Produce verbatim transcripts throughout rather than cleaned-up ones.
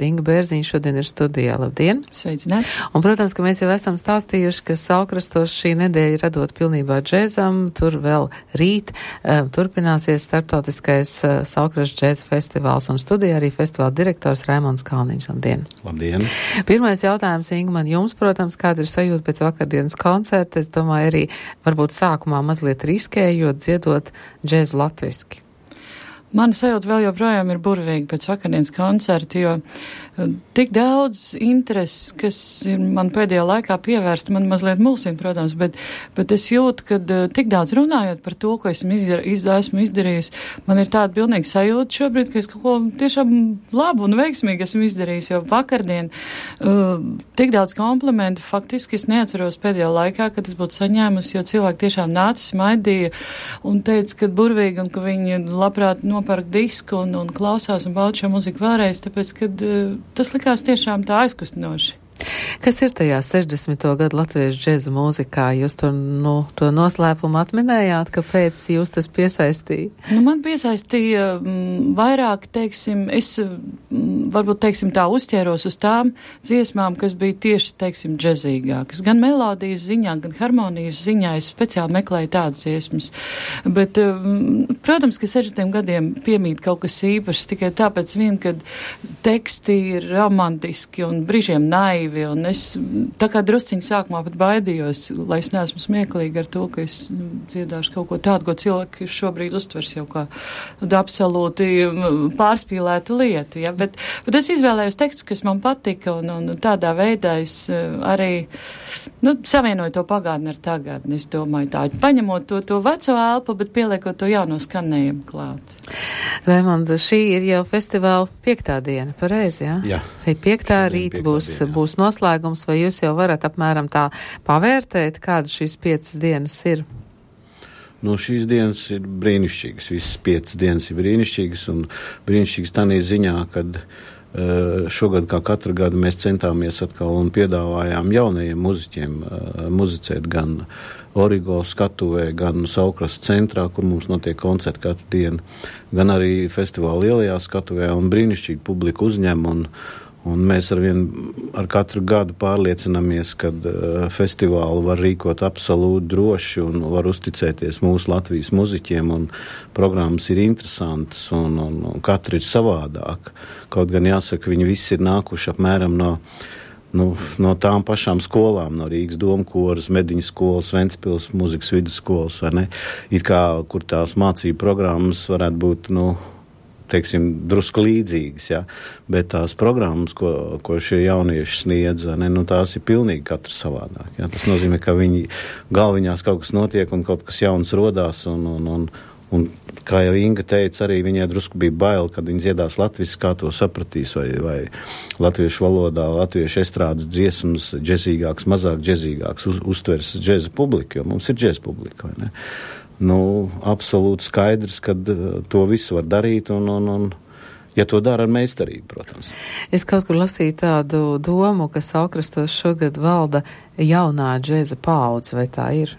Inga Bērziņa šodien ir studijā. Labdien! Sveicināt! Un, protams, ka mēs jau esam stāstījuši, ka Saulkrastos šī nedēļa radot pilnībā džēzam, tur vēl rīt uh, turpināsies starptautiskais uh, Saulkrasts džēza festivāls, un studijā arī festivāla direktors Raimonds Kalniņš. Labdien! Labdien! Pirmais jautājums, Inga, man jums, protams, kāda ir sajūta pēc vakardienas koncerta? Es domāju, arī varbūt sākumā mazliet riskējot, dziedot džēzu latviski. Mana sajūta vēl joprojām ir burvīga pēc vakardienas koncerta, jo tik daudz intereses, kas ir man pēdējā laikā pievērsta, man mazliet mulsina, protams, bet, bet es jūtu, ka tik daudz runājot par to, ko esmu, izdar, izdā, esmu izdarījis, man ir tāda pilnīga sajūta šobrīd, ka es kaut ko tiešām labu un veiksmīgi esmu izdarījis, jo vakardien uh, tik daudz komplimentu faktiski es neatceros pēdējā laikā, kad es būtu saņēmusi, jo cilvēki tiešām nāca, smaidīja un teica, ka burvīgi un ka viņi labprāt nopērk disku un, un klausās un bauda šo muziku vēlreiz, tāpēc, kad uh, tas likās tiešām tā aizkustinoši. Kas ir tajā sešdesmito gadu latviešu džēza mūzikā? Jūs to, nu, to noslēpumu atminējāt, kāpēc jūs tas piesaistīja? Nu, man piesaistīja m, vairāk, teiksim, es m, varbūt, teiksim, tā uzķēros uz tām dziesmām, kas bija tieši, teiksim, džezīgākas. Gan melodijas ziņā, gan harmonijas ziņā es speciāli meklēju tādas dziesmas. Bet, m, protams, ka sešdesmitiem gadiem piemīt kaut kas īpašs tikai tāpēc vien, kad teksti ir romantiski un brīžiem naivi. Un es tā kā drusciņi sākumā pat baidījos, lai es neesmu smieklīgi ar to, ka es dziedāšu kaut ko tādu, ko cilvēki šobrīd uztvers jau kā absolūti pārspīlētu lietu. Ja? Bet, bet es izvēlējos tekstus, kas man patika, un, un tādā veidā es arī nu, savienoju to pagātni ar tagadni. Es domāju tā, paņemot to, to veco elpu, bet pieliekot to jauno skanējumu klāt. Raimonda, šī ir jau festivāla piektā diena, pareizi, jā? Jā. Šī piektā rīt būs, diena, būs noslēgums, vai jūs jau varat apmēram tā pavērtēt, kāda šīs piecas dienas ir? Nu, šīs dienas ir brīnišķīgas, visas piecas dienas ir brīnišķīgas, un brīnišķīgas tādā ziņā, kad uh, šogad, kā katru gadu, mēs centāmies atkal un piedāvājām jaunajiem muziķiem uh, muzicēt gan Origo skatuvē, gan Saulkrasta centrā, kur mums notiek koncerti katru dienu, gan arī festivāla lielajā skatuvē, un brīnišķīgi publiku uzņem, un Un mēs arvien ar katru gadu pārliecinamies, ka uh, festivālu var rīkot absolūti droši un var uzticēties mūsu Latvijas muziķiem, un programmas ir interesantas, un, un, un katra ir savādāka. Kaut gan jāsaka, viņi visi ir nākuši apmēram no, nu, no tām pašām skolām, no Rīgas domkoras, Mediņu skolas, Ventspils muzikas vidusskolas, vai ne? It kā, kur tās mācību programmas varētu būt, nu, teiksim, drusku līdzīgas, ja? Bet tās programmas, ko, ko šie jaunieši sniedz, ne, nu, tās ir pilnīgi katra savādāk. Ja? Tas nozīmē, ka viņi galviņās kaut kas notiek un kaut kas jauns rodās, un, un, un, un kā jau Inga teica, arī viņai drusku bija bail, kad viņi dziedās latviski, kā to sapratīs, vai, vai latviešu valodā, latviešu estrādes dziesmas, džezīgāks, mazāk džezīgāks, uz, uztvers džeza publika, jo mums ir džeza publika, vai ne? Nu, absolūti skaidrs, ka to visu var darīt, un, un, un ja to dara ar meistarību, protams. Es kaut kur lasīju tādu domu, ka Saulkrastos šogad valda jaunā džeza paudze, vai tā ir?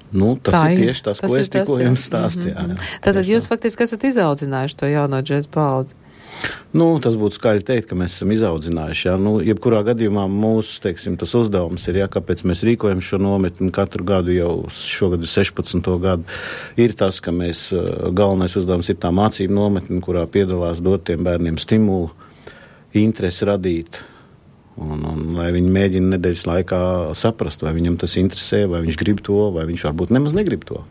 Nu, tas tā ir ir tieši tas, tas ko es tikko jums stāstīju. Mm-hmm. Tātad jūs faktiski esat izaudzinājuši to jauno džeza paudzi. Nu, tas būtu skaļi teikt, ka mēs esam izaudzinājuši, jā. Nu, jebkurā gadījumā mūsu, teiksim, tas uzdevums ir, jā, kāpēc mēs rīkojam šo nometni katru gadu, jau šogad ir sešpadsmito gadu, ir tas, ka mēs, galvenais uzdevums ir tā mācību nometni, kurā piedalās dot tiem bērniem stimulu, interesi radīt, un, un lai viņi mēģina nedēļas laikā saprast, vai viņam tas interesē, vai viņš grib to, vai viņš varbūt nemaz negrib to.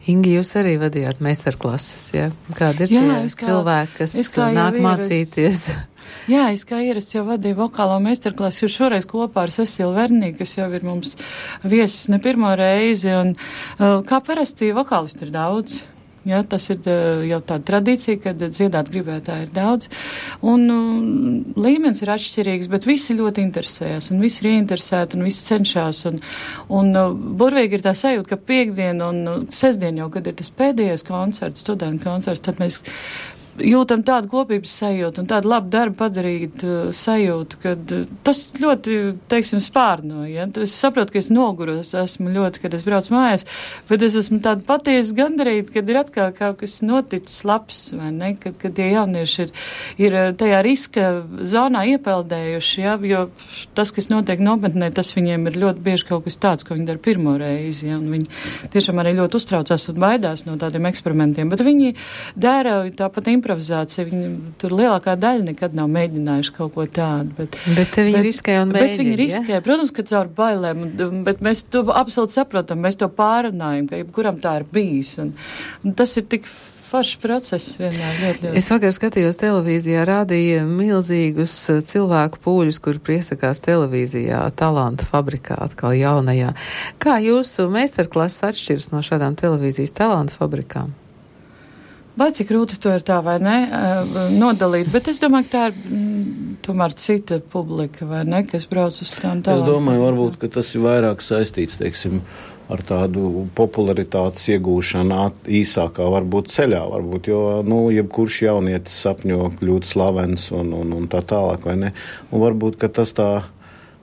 Ingi, jūs arī vadījāt meistarklases, ja? Kādi ir jā, tie kā, cilvēki, kas nāk mācīties? Jā, es kā ierasts jau vadīju vokālo meistarklases, jo šoreiz kopā ar Cecilu Vernī, kas jau ir mums viesis ne pirmo reizi, un kā parasti vokālisti ir daudz. Ja, tas ir jau tāda tradīcija, kad dziedāt gribētāji ir daudz, un um, līmenis ir atšķirīgs, bet visi ļoti interesējas, un visi ir ieinteresēti, un visi cenšas, un, un uh, burvīgi ir tā sajūta, ka piekdien un uh, sestdien jau, kad ir tas pēdējais koncerts, studentu koncerts, tad mēs jūtam tādu kopības sajūtu un tādu labu darbu padarīt uh, sajūtu, kad uh, tas ļoti, teiksim, spārno, ja? Es saprotu, ka es noguros esmu ļoti, kad es braucu mājās, bet es esmu tāda patiesi gandarīta, kad ir atkal kaut kas noticis labs, vai ne? Kad, kad tie jaunieši ir, ir tajā riska zonā iepeldējuši, ja? Jo tas, kas notiek nometnē, tas viņiem ir ļoti bieži kaut kas tāds, ko viņi dara pirmo reizi, ja? Un viņi tiešām arī ļoti uztraucās un baidās no tādiem eksperimentiem, bet viņi dara tāpat improvizācija, viņi tur lielākā daļa nekad nav mēģinājuši kaut ko tādu. Bet, bet te viņi bet, riskē un mēģina, bet viņi riskē, ja? Protams, ka caur bailēm, bet mēs to absolūti saprotam, mēs to pārunājam, ka jebkuram tā ir bijis, un, un tas ir tik foršs process vienmēr ļoti, ļoti. Es vakar skatījos televīzijā, rādīja milzīgus cilvēku pūļus, kuri priesakās televīzijā, Talanta fabrikā, atkal jaunajā. Kā jūsu meistarklases atšķiras no šādām televīzijas Talanta fabrikām? Vai cik grūti to ir tā vai ne, nodalīt, bet es domāju, ka tā ir mm, tomēr cita publika, vai ne, kas brauc uz tām Talanta. Es domāju, varbūt, ka tas ir vairāk saistīts, teiksim, ar tādu popularitātes iegūšanu īsākā varbūt ceļā, varbūt, jo, nu, jebkurš jaunietis sapņo kļūt slavens un, un, un tā tālāk, vai ne? Un varbūt, ka tas tā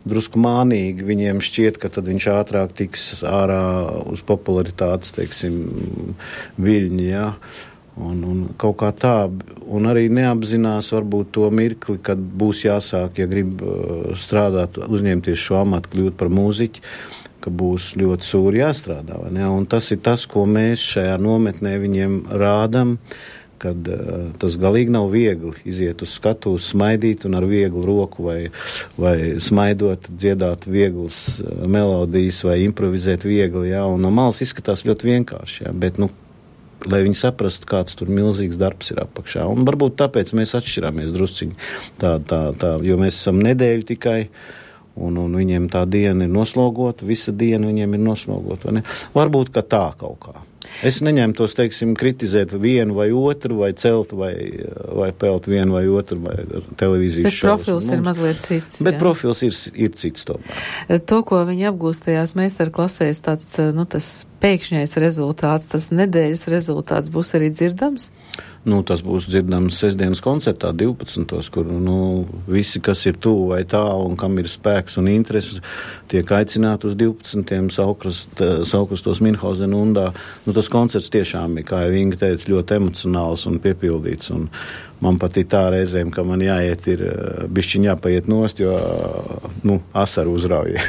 drusku mānīgi viņiem šķiet, ka tad viņš ātrāk tiks ārā uz popularitātes, teiksim, viļņi, jā. Un, un kaut kā tā, un arī neapzinās varbūt to mirkli, kad būs jāsāk, ja grib strādāt, uzņemties šo amatu, kļūt par mūziķi, ka būs ļoti sūri jāstrādā, vai ne? Un tas ir tas, ko mēs šajā nometnē viņiem rādam, kad uh, tas galīgi nav viegli iziet uz skatuves, smaidīt un ar vieglu roku vai, vai smaidot, dziedāt vieglas uh, melodijas vai improvizēt viegli, jā, un no malas izskatās ļoti vienkārši, jā, bet, nu, lai viņi saprastu, kāds tur milzīgs darbs ir apakšā. Un varbūt tāpēc mēs atšķirāmies drusciņi, tā, tā, tā, jo mēs esam nedēļu tikai, un, un viņiem tā diena ir noslogota, visa diena viņiem ir noslogota, vai ne? Varbūt, ka tā kaut kā. Es neņemtos, teiksim, kritizēt vienu vai otru, vai celt, vai, vai pelt vienu vai otru, vai televīzijas šovus. Bet profils Mums, ir mazliet cits. Bet jā. profils ir, ir cits tomēr. To, ko viņi apgūst tajās meistarklasēs, tāds, nu, tas pēkšņais rezultāts, tas nedēļas rezultāts būs arī dzirdams? Nu, tas būs dzirdams sestdienas koncertā divpadsmitos, kur, nu, visi, kas ir tuvu vai tālu un kam ir spēks un interesi, tiek aicināti uz divpadsmitiem Saukrast, Saukrastos Minhauzena undā. Nu, tas koncerts tiešām ir, kā jau Inga teica, ļoti emocionāls un piepildīts, un man pat ir tā reizēm, ka man jāiet ir bišķiņ jāpaiet nost, jo, nu, asaru uzrauja.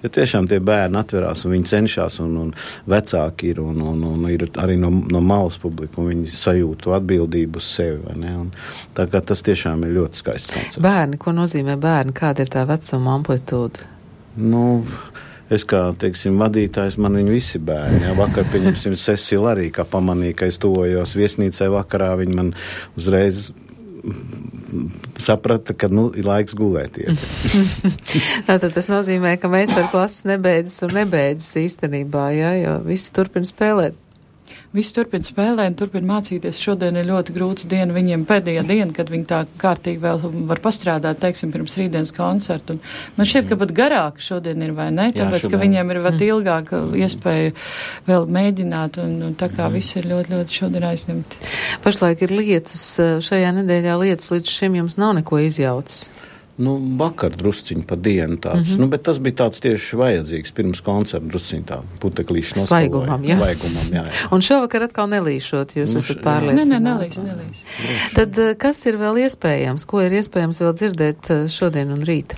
Ja tiešām tie bērni atverās un viņi cenšas, un, un vecāki ir, un, un, un ir arī no, no malas publika, un viņi sajūtu atbildību uz sevi, vai ne? Un tā kā tas tiešām ir ļoti skaists koncerts. Bērni, ko nozīmē bērni? Kāda ir tā vecuma amplitūda? Nu, es kā, teiksim, vadītājs, man viņi visi bērni. Jā. Vakar, pieņemsim, Cecila arī, kā pamanīja, ka es tuvojos viesnīcai vakarā, viņi man uzreiz saprata, ka, nu, ir laiks gulēt iet. Tātad tas nozīmē, ka meistarklases nebeidzas un nebeidzas īstenībā, jā, jo visi turpina spēlēt. Visi turpina spēlēt, turpina mācīties. Šodien ir ļoti grūts diena viņiem, pēdējā diena, kad viņi tā kārtīgi vēl var pastrādāt, teiksim, pirms rītdienas koncertu. Un man šķiet, ka pat garāka šodien ir, vai ne? Tāpēc, Jā, ka viņiem ir vēl ilgāk iespēja vēl mēģināt, un, un tā kā visi ir ļoti, ļoti šodien aizņemti. Pašlaik ir lietus, šajā nedēļā lietus līdz šim jums nav neko izjaucis. Nu, vakar drusciņi pa dienu tāds, mm-hmm. nu, bet tas bija tāds tieši vajadzīgs pirms koncerta drusciņi tā puteklīši nospēlēja. Svaigumam, jā. Svaigumam, jā, jā. Un šovakar atkal nelīšot, jūs nu, esat pārliecināti. Nē, nē, nelīs, nelīs. Tad kas ir vēl iespējams? Ko ir iespējams vēl dzirdēt šodien un rīt?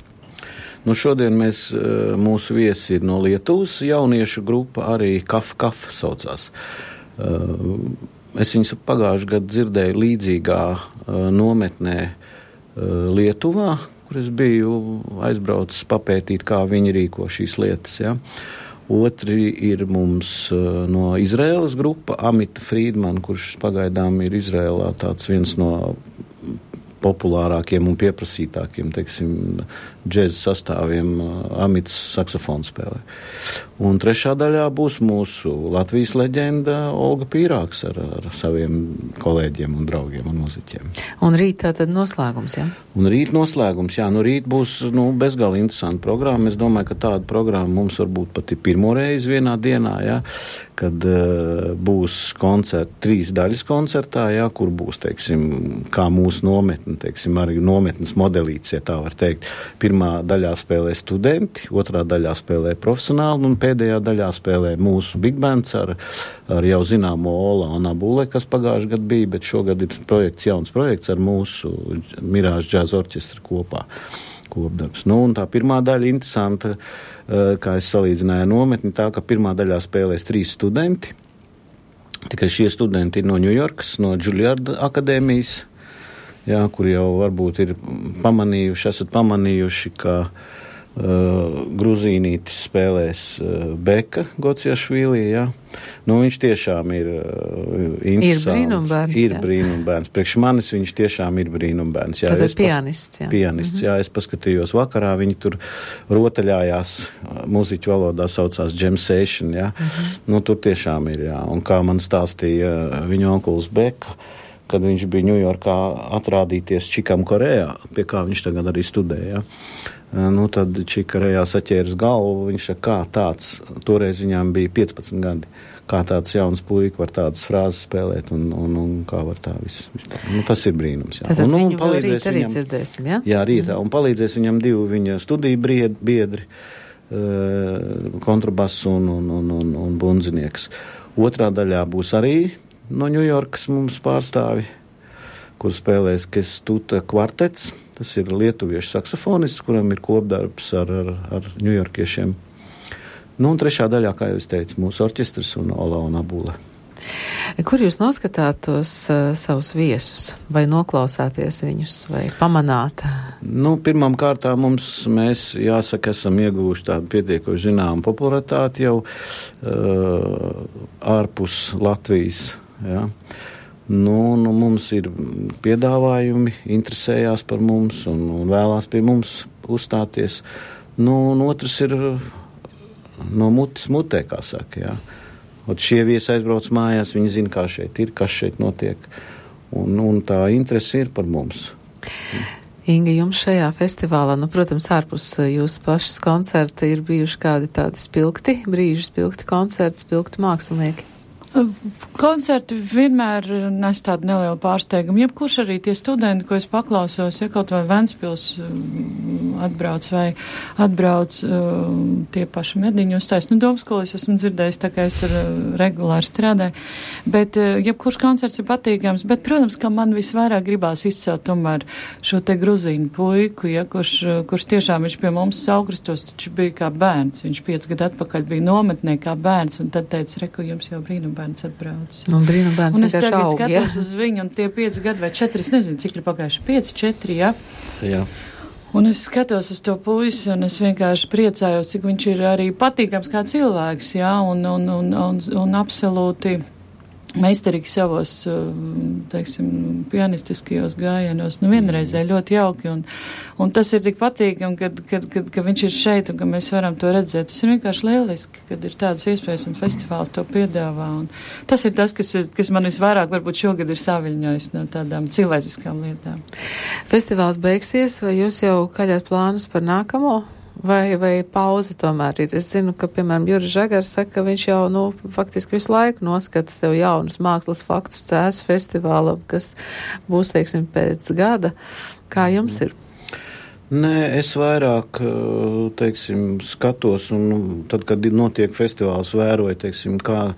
Nu, šodien mēs, mūsu viesi ir no Lietuvas jauniešu grupa, arī Kaf Kaf saucās. Es viņus pagājuši gadu dzirdēju līdzīgā nometnē Lietuvā, kur es biju aizbraucis papētīt, kā viņi rīko šīs lietas, ja. Otri ir mums uh, no Izraēlas grupa, Amita Friedman, kurš pagaidām ir Izraēlā tāds viens no populārākiem un pieprasītākiem, teiksim, džēza sastāviem Amits saksofonu spēlē. Un trešā daļā būs mūsu Latvijas leģenda Olga Pīrāks ar, ar saviem kolēģiem un draugiem un muziķiem. Un rīt tātad noslēgums, jā? Un rīt noslēgums, jā. Nu rīt būs, nu, bezgalīgi interesanta programma. Es domāju, ka tāda programma mums varbūt pat ir pirmo reizi vienā dienā, jā, kad uh, būs koncerti, trīs daļas koncertā, jā, kur būs, teiksim, kā mūsu nometne, teiksim, arī nometnes modelīts, ja tā var teikt. Pirmā daļā spēlē studenti, otrā daļā spēlē profesionāli, un pēdējā daļā spēlē mūsu big bands ar, ar jau zināmo Ola un Abule, kas pagājuši gadu bija, bet šogad ir projekts, jauns projekts ar mūsu Mirāžu džāza orķestru kopā. Kopdarbs. Nu, un tā pirmā daļa interesanta, kā es salīdzināju nometni, tā, ka pirmā daļā spēlēs trīs studenti. Tikai šie studenti ir no Ņujorkas, no Juilliard akadēmijas, jā, kur jau varbūt ir pamanījuši, esat pamanījuši, ka uh, Gruzīnītis spēlēs uh, Beka Gociašvili, jā. Nu, viņš tiešām ir uh, interesants. Ir brīnumbērns, ir jā. brīnumbērns. Priekš manis viņš tiešām ir brīnumbērns. Jā, Tātad pianists, jā. Pianists, mm-hmm. jā. Es paskatījos vakarā, viņi tur rotaļājās, muziķu valodā saucās jam session, jā. Mm-hmm. Nu, tur tiešām ir, jā. Un kā man stāstīja viņa onkulis Beka, kad viņš bija Ņujorkā atrādīties Čikam Korejā, pie kā viņš tagad arī studēja. Nu, tad Čikarejā saķēras galvu, viņš saka, kā tāds, toreiz viņām bija piecpadsmit gadi, kā tāds jauns puika var tādas frāzes spēlēt un, un, un kā var tā viss. Nu, tas ir brīnums, jā. Tātad un, viņu un vēl rīt arī viņam, dzirdēsim, jā? Jā, rītā, mm. un palīdzēs viņam divi viņa studiju biedri, uh, kontrabass un, un, un, un, un bundzinieks. Otrā daļā būs arī no Ņujorkas mums pārstāvi, kur spēlēs Kestuta kvartets. Tas ir lietuviešu saksofonists, kuram ir kopdarbs ar, ar, ar ņujorkiešiem. Nu, un trešā daļā, kā jau es teicu, mūsu orķestris un Ola un Abule. Kur jūs noskatāt tos uh, savus viesus? Vai noklausāties viņus, vai pamanāt? Nu, pirmām kārtām mums, mēs, jāsaka, esam ieguvuši tādu pietiekoši zināmu popularitāti jau uh, ārpus Latvijas, jā. Nu, nu, mums ir piedāvājumi, interesējās par mums un, un vēlās pie mums uzstāties. Nu, un otrs ir no mutes mutē, kā saka, jā. Ot šie viesi aizbrauc mājās, viņi zina, kā šeit ir, kas šeit notiek. Un, un tā interese ir par mums. Inga, jums šajā festivālā, nu, protams, ārpus jūsu pašas koncerta ir bijuši kādi tādi spilgti, brīži spilgti koncerti, spilgti mākslinieki? Koncerti vienmēr nes tādu nelielu pārsteigumu. Jebkurš arī tie studenti, ko es paklausos, ja kaut vai Ventspils atbrauc vai atbrauc tie paši mediņu uzstājas. Nu, Domskolis esmu dzirdējis, tā kā es tur regulāri strādāju. Bet jebkurš koncerts ir patīkams. Bet, protams, ka man visvairāk gribās izcelt tomēr šo te gruzīnu puiku, ja, kurš, kurš tiešām viņš pie mums Saukrastos, taču bija kā bērns. Viņš piec gadu atpakaļ bija nometnē kā bērns, un tad teica, reku, jums jau brīnum bērns atbrauc. Un brīnumbērns un es tagad aug, skatos ja? uz viņu, un tie pieci gadi vai četri, es nezinu, cik ir pagājuši, pieci, četri, jā. Jā. Un es skatos uz to puisi, un es vienkārši priecājos, cik viņš ir arī patīkams kā cilvēks, jā, un, un, un, un, un absolūti meistarīgi savos, teiksim, pianistiskajos gājienos, nu vienreizē ļoti jauki, un, un tas ir tik patīkami, kad, kad, kad, kad viņš ir šeit, un ka mēs varam to redzēt. Tas ir vienkārši lieliski, kad ir tādas iespējas, un festivāls to piedāvā, un tas ir tas, kas, kas man visvairāk varbūt šogad ir saviļņojis no tādām cilvēciskām lietām. Festivāls beigsies, vai jūs jau kaļāt plānus par nākamo? Vai, vai pauze tomēr ir? Es zinu, ka, piemēram, Juris Žagars saka, ka viņš jau, nu, faktiski visu laiku noskata sev jaunus mākslas faktus cēsu festivālam, kas būs, teiksim, pēc gada. Kā jums ir? Nē, es vairāk, teiksim, skatos, un tad, kad notiek festivāls, vēroju, teiksim, kā,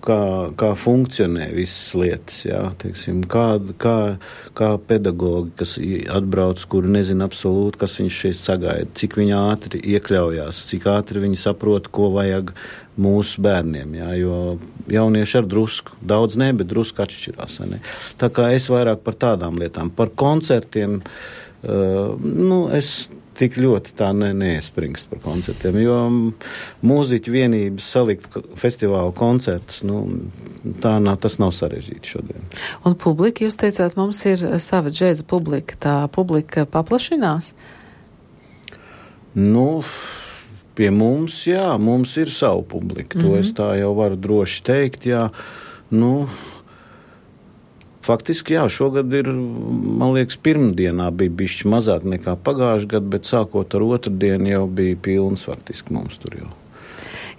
kā, kā funkcionē visas lietas, jā, teiksim, kā, kā, kā pedagogi, kas atbrauc, kuri nezina absolūti, kas viņš šeit sagaida, cik viņi ātri iekļaujās, cik ātri viņi saprot, ko vajag mūsu bērniem, jā, jo jaunieši ar drusku, daudz ne, bet drusku atšķirās, ne. Tā kā es vairāk par tādām lietām, par koncertiem, uh, nu, es tik ļoti tā ne, neespringst par koncertiem, jo mūziķu vienības salikt festivālu koncertus, nu, tā nav, tas nav sarežģīti šodien. Un publika, jūs teicāt, mums ir sava džēza publika, tā publika paplašinās? Nu, pie mums, jā, mums ir savu publiku, to mm-hmm. es tā jau varu droši teikt, jā, nu... Faktiski, jā, šogad ir, man liekas, pirmdienā bija bišķi mazāk nekā pagājuši gadu, bet sākot ar otru dienu jau bija pilns faktiski mums tur jau.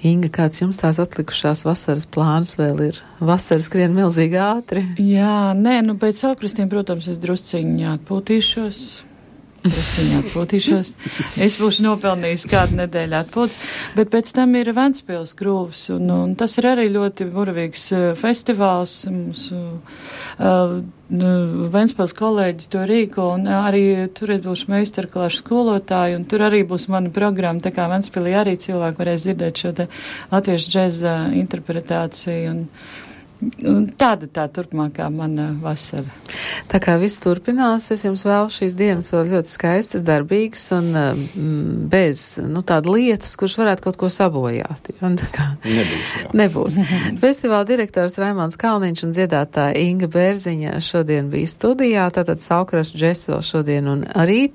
Inga, kāds jums tās atlikušās vasaras plānas vēl ir? Vasaras skrien milzīgi ātri. Jā, nē, nu pēc saukrastiem, protams, es drusciņi atpūtīšos. Drusciņi atpūtīšos. Es būšu nopelnījis kādu nedēļu atpūtas, bet pēc tam ir Ventspils krūvs, un, un tas ir arī ļoti burvīgs uh, festivāls. Mums uh, Ventspils kolēģis to rīko, un arī tur būšu meistarklašu skolotāji, un tur arī būs mana programma, tā kā Ventspilī arī cilvēki varēs dzirdēt šo te latviešu džeza interpretāciju, un tāda tā turpmākā mana vasara. Tā kā viss turpinās, es jums vēlu šīs dienas vēl ļoti skaistas, darbīgas un mm, bez, nu, tāda lietas, kurš varētu kaut ko sabojāt. Un tā kā nebūs, jā. Nebūs. Festivāla direktors Raimonds Kalniņš un dziedātāja Inga Bērziņa šodien bija studijā, tātad Saukrastu džess vēl šodien un rīt.